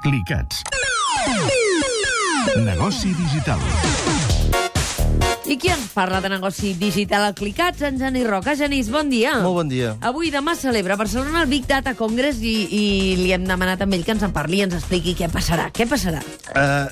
Clicats. Negoci digital. I qui ens parla de negoci digital al Clicats? En Genís Roca. Genís, bon dia. Molt bon dia. Avui demà celebra a Barcelona el Big Data Congress i li hem demanat a ell que ens en parli i ens expliqui què passarà. Què passarà?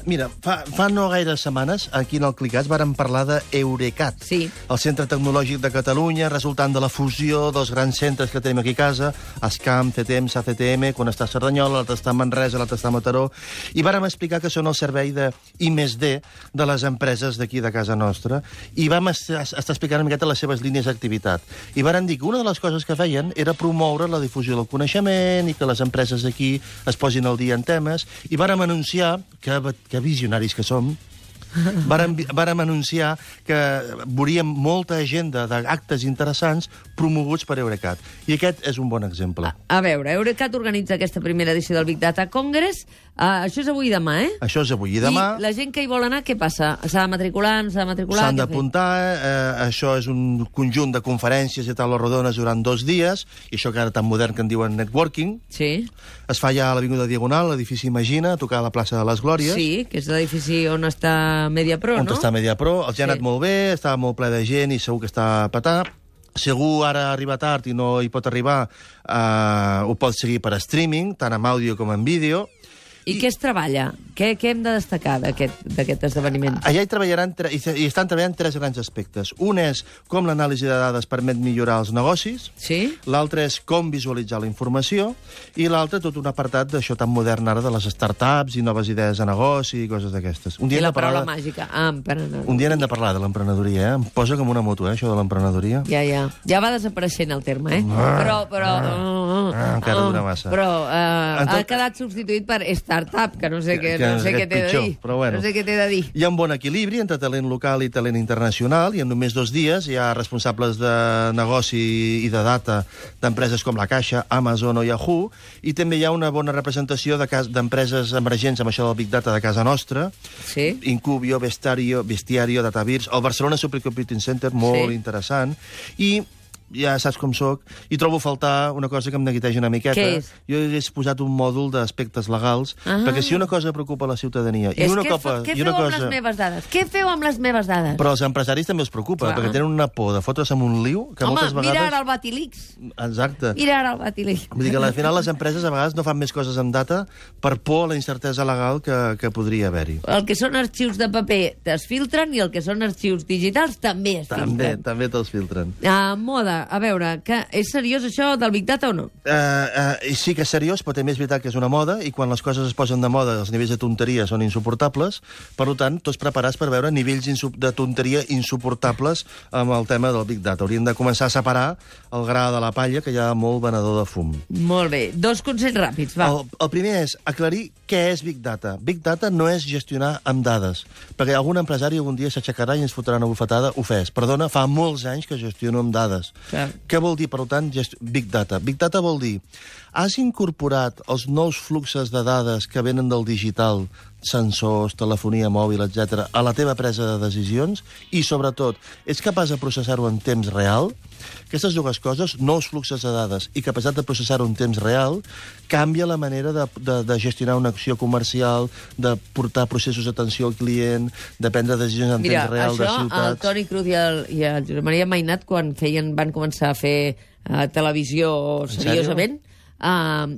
Mira, fa no gaires setmanes, aquí en el Clicats, vàrem parlar d'Eurecat, Sí. el Centre Tecnològic de Catalunya, resultant de la fusió dels grans centres que tenim aquí a casa, ESCAM, CTM, SACTM, quan està a Cerdanyola, l'altre està a Manresa, l'altre està a Mataró, i vàrem explicar que són el servei de I+D de les empreses d'aquí de casa nostra, i vam estar explicant una miqueta les seves línies d'activitat. I vàrem dir que una de les coses que feien era promoure la difusió del coneixement i que les empreses d'aquí es posin al dia en temes, i vàrem anunciar, que visionaris que som, vàrem anunciar que veuríem molta agenda d'actes interessants promoguts per Eurecat. I aquest és un bon exemple. A veure, Eurecat organitza aquesta primera edició del Big Data Congress. Això és avui i demà, eh? Això és avui i demà. I la gent que hi vol anar, què passa? S'ha de matricular, no s'ha de matricular? S'han d'apuntar, això és un conjunt de conferències i taules rodones durant 2 dies, i això que ara tan modern que en diuen networking. Sí. Es fa ja a l'Avinguda Diagonal, l'edifici Imagina, a tocar a la plaça de les Glòries. Sí, que és l'edifici on està Mediapro, on no? està Mediapro. Els hi ha Sí. anat molt bé, estava molt ple de gent i segur que està a petar. Segur ara arriba tard i no hi pot arribar, ho pot seguir per streaming, tant en àudio com en vídeo. I què es treballa? Què hem de destacar d'aquest esdeveniment? Allà hi treballaran i estan treballant 3 grans aspectes. Un és com l'anàlisi de dades permet millorar els negocis, Sí? l'altre és com visualitzar la informació, i l'altre tot un apartat d'això tan modern ara de les startups i noves idees de negoci i coses d'aquestes. I la paraula màgica. Emprenedoria. Un dia n'hem de parlar de l'emprenedoria, eh? Em posa com una moto, això de l'emprenedoria. Ja va desapareixent el terme, eh? Encara dura massa. Però ha quedat substituït per startup, que no sé què t'he de pitjor, dir. però bueno. No sé què t'he de dir. Hi ha un bon equilibri entre talent local i talent internacional, i en només 2 dies hi ha responsables de negoci i de data d'empreses com la Caixa, Amazon o Yahoo, i també hi ha una bona representació d'empreses emergents amb això del Big Data de casa nostra, Sí? Incubio, Bestiario, Datavirs, el Barcelona Supercomputing Center, molt interessant, i ja saps com soc, i trobo a faltar una cosa que em neguiteja una miqueta. Què és? Jo he posat un mòdul d'aspectes legals, perquè si una cosa preocupa la ciutadania... Què feu amb les meves dades? Què feu amb les meves dades? Però als empresaris també els preocupa, perquè tenen una por de fotre's amb un liu que moltes vegades... Mira ara el Batilix. Exacte. Mira ara el Batilix. Vull dir que al final les empreses a vegades no fan més coses amb data per por a la incertesa legal que podria haver-hi. El que són arxius de paper es filtren i el que són arxius digitals també es filtren. També te'ls filtren. Moda, a veure, que és seriós això del Big Data o no? Sí que és seriós, però també és veritat que és una moda, i quan les coses es posen de moda, els nivells de tonteria són insuportables. Per tant, tots preparats per veure nivells de tonteria insuportables amb el tema del Big Data. Hauríem de començar a separar el gra de la palla, que hi ha molt venedor de fum. Molt bé. 2 consells ràpids, va. El primer és aclarir què és Big Data. Big Data no és gestionar amb dades, perquè algun empresari algun dia s'aixecarà i ens fotrà una bufetada ofès. Perdona, fa molts anys que gestiono amb dades. Clar. Què vol dir, per tant, Big Data? Big Data vol dir, has incorporat els nous fluxos de dades que venen del digital, sensors, telefonia mòbil, etc., a la teva presa de decisions, i, sobretot, ets capaç de processar-ho en temps real? Aquestes 2 coses, nous fluxos de dades i capacitat de processar-ho en temps real, canvia la manera de gestionar una acció comercial, de portar processos d'atenció al client, de prendre decisions en temps real de ciutats... Mira, això el Toni Cruz i el Josep Maria Mainat, quan van començar a fer televisió seriosament,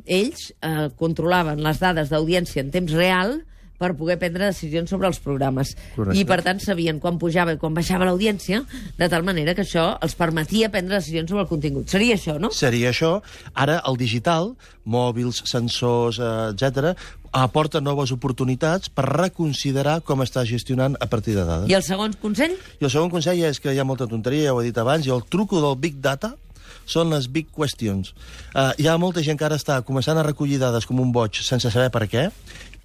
ells controlaven les dades d'audiència en temps real per poder prendre decisions sobre els programes. Correcte. I, per tant, sabien quan pujava i quan baixava l'audiència, de tal manera que això els permetia prendre decisions sobre el contingut. Seria això, no? Seria això. Ara, el digital, mòbils, sensors, etc., aporta noves oportunitats per reconsiderar com està gestionant a partir de dades. I el segon consell? I el segon consell és que hi ha molta tonteria, ja ho he dit abans, i el truco del Big Data són les big questions. Hi ha molta gent que ara està començant a recollir dades com un boig sense saber per què.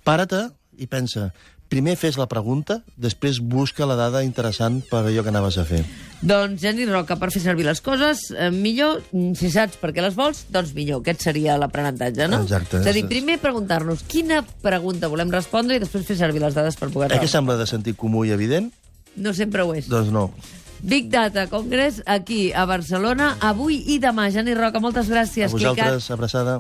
Para-te i pensa, primer fes la pregunta, després busca la dada interessant per allò que anaves a fer. Doncs, Genís Roca, per fer servir les coses, millor, si saps per què les vols, doncs millor. Aquest seria l'aprenentatge, no? Exacte. És a dir, primer preguntar-nos quina pregunta volem respondre i després fer servir les dades per poder-la. Que sembla de sentit comú i evident? No sempre ho és. Doncs no. Big Data Congress aquí a Barcelona, avui i demà. Genís Roca, moltes gràcies. A vosaltres, abraçada.